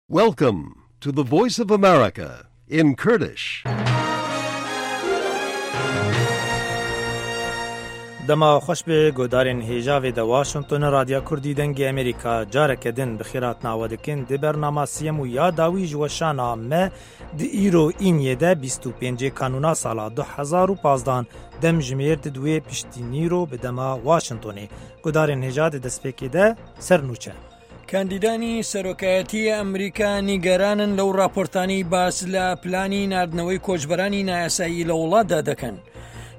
Welcome to the Voice of America in Kurdish. Dema xweş be guhdarên hêja vê de Washington Radya Kurdî Dengê Amerîka careke din bi xêr hatina we dikin di bernama siyem û ya dawî ji weşana me di îro îniyê de 25 kanûna sala 2015 dem jimêr di duwê piştî nîro bi dema Washingtonê. Guhdarên hêja di destpêkê de ser nûçe. کاندیدانی سەرۆکایەتی ئەمریکا نیگەرانن لەو راپۆرتانەی باس لە پلانی ناردنەوەی کۆچبەرانی نایاسایی لە وڵاتدا دەکەن.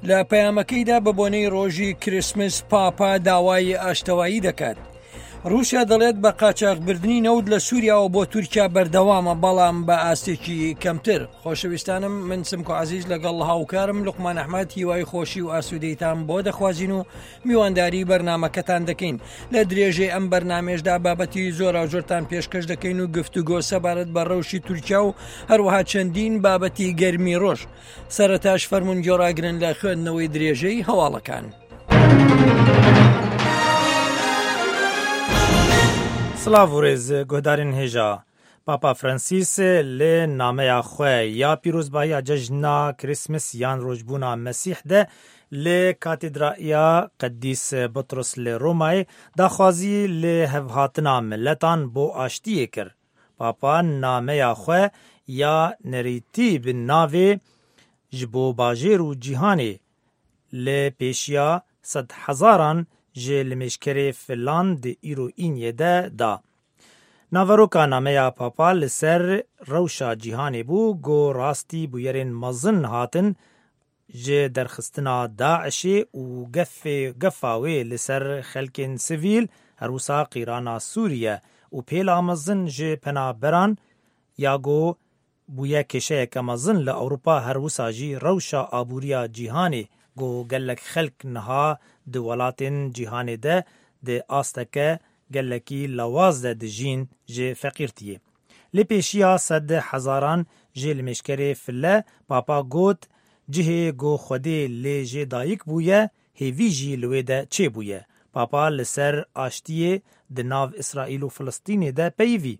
لە پەیامەکەیدا بە بۆنەی ڕۆژی کریسمس پاپا داوای ئاشتەوایی دەکات. رووسیا دەڵێت بە قاچاخبردنی نەوت لە سووریاوە بۆ تورکیا بەردەوامە بەڵام بە ئاستێکی کەمتر. خۆشەویستانم من سمکۆ عزیز لەگەڵ هاوکارم لوقمان ئەحمەد هیوای خۆشی و ئاسوودەیتان بۆ دەخوازین و میوانداری بەرنامەکەتان دەکەین لە درێژەی ئەم بەرنامێشدا بابەتی زۆراوزۆرتان پێشکەش دەکەین و گفتوگۆ سەبارەت بە ڕەوشی تورکیا و هەروەها چەندین بابەتی گەرمی ڕۆژ سەرەتاش فەرمونون گۆڕاگرن لە خوێندنەوەی درێژەی هەواڵەکان. سڵاv û rêz guhdarên hêja. Papa Francis li nameya xwe ya pîrozbahiya cejna Christmas yan rojbûna Mesîh de li Katedraya Qedîs Butros li Romayê daxwazî li hevhatina miletan bo aştiyê kir. Papa nameya xwe ya nerîtî bi navê ji bo bajêr û cîhanê li pêşiya sedhezaran ji limêjkerê filan di îro îniyê de da. Naveroka nameya Papa li ser rewşa cîhanê bû ku rastî bûyerên mezin hatin ji derxistina DAIŞ'ê û gefê gefa wê li ser xelkên sivîl, her wisa qîrana Sûriye û pêla mezin ji penaberan ya ku bûye kêşeyeke mezin li Ewropa her wisa jî rewşa aboriya cîhanê ku gelek xelk niha di welatên cîhanê de di asteke gelekî lewaz de dijîn ji feqîrtiyê. Li pêşiya sed hezaran ji limêjkerê file Papa got cihê ku Xwedê lê jê dayik bûye hêvî jî li wê de çêbûye. Papa li ser aştiyê di nav Îsraîl û Filistînê de peyivî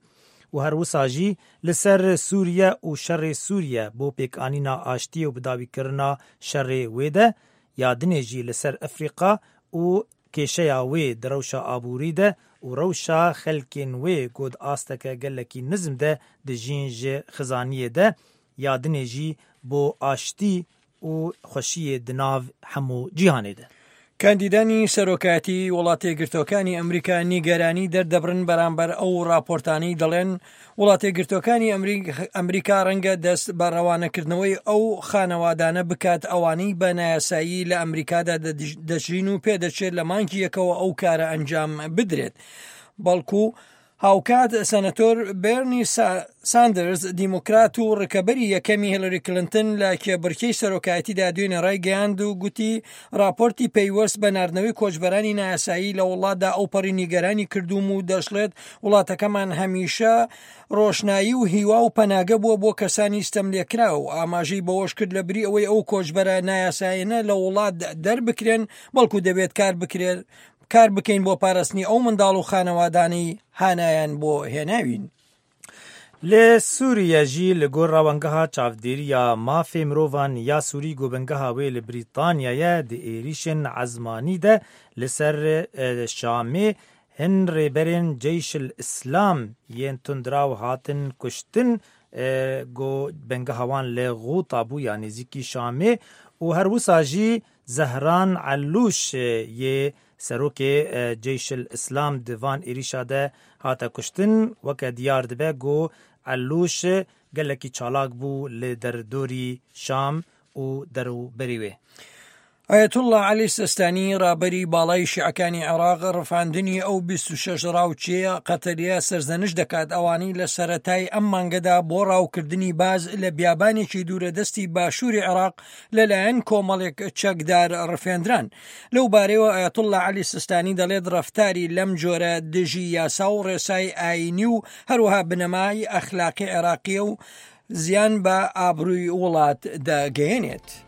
û her wisa jî li ser Sûriye û şerê Sûriye bo pêkanîna aştiyê û bidawîkirina şerê wê de ya dinê jî li ser Efrîqa û kêşeya wê di rewşa aborî de û rewşa xelkên wê ku di asteke gelekî nizm de dijîn ji xizaniyê de ya dinê jî bo aştî û xweşiyê di nav hemû cîhanê de. کاندیدانی سەرۆکایەتی وڵاتەیەکگرتووەکانی ئەمریکا نیگەرانی دەردەبڕن بەرامبەر ئەو راپۆرتانەی دەڵێن وڵاتەیەکگرتووەکانی ئەمریکا ڕەنگە دەست بە ڕەوانەکردنەوەی ئەو خانەوادانە بکات ئەوانەی بە نایاسایی لە ئەمریکادا دەژین و پێدەچێت لە مانگی یەکەوە ئەو کارە ئەنجام بدرێت بەڵکو هاوکات سەنەتۆر بێرنی ساندرز دیموکرات و ڕکەبەری یەکەمی هێلری کلنتن لە کێبڕکێی سەرۆکایەتیدا دوێنێ ڕایگەیاند و گوتی راپۆرتی پەیوەست بە ناردنەوەی کۆچبەرانی نایاسایی لە وڵاتدا ئەوپەڕی نیگەرانی کردووم و دەشڵێت وڵاتەکەمان هەمیشە ڕۆشنایی و هیوا و پەناگە بووە بۆ کەسانی ستەملێکراو و ئاماژەی بەوەش کرد لە بری ئەوەی ئەو کۆچبەرە نایاسایانە لە وڵات دەربکرێن بەڵکو دەبێت کار بکرێت کار بکەین بۆ پاراستنی ئەو منداڵ و خانەوادانەی هانایان بۆ هێناوین. Li Sûriye jî li gor Rewangeha Çavdêriya Mafê Mirovan ya Sûrî ku bingeha wê li Brîtanya ye di êrîşên ezmanî de li ser Şamê hin rêberên Ceyş el Îslam yên tundraw hatin kuştin ku bingeha wan li Xûta bû ya nêzîkî Şamê û her wisa jî Zehran Elûş yê serokê Ceyş el Îslam di van êrîşa de hate kuştin weke diyar dibe ku Elûş gelekî çalak bû li derdorî Şam û derûberî wê. ئایەتوڵڵا عەلی سیستانی ڕابەری باڵای شیعەکانی عێراق ڕفاندنی ئەو 26 ڕاوچییە قەتەرییە سەرزەنشت دەکات ئەوانەی لە سەرەتای ئەم مانگەدا بۆ ڕاوکردنی باز لە بیابانێکی دوورەدەستی باشووری عێراق لەلایەن کۆمەڵێک چەکدار ڕفێندران. لەو بارەیەوە ئایەتوڵڵا عەلی سیستانی دەڵێت ڕەفتاری لەم جۆرە دژی یاسا و ڕێسای ئایینی و هەروەها بنەمای ئەخلاقی عێراقییە و زیان بە ئابرووی وڵات دەگەیەنێت.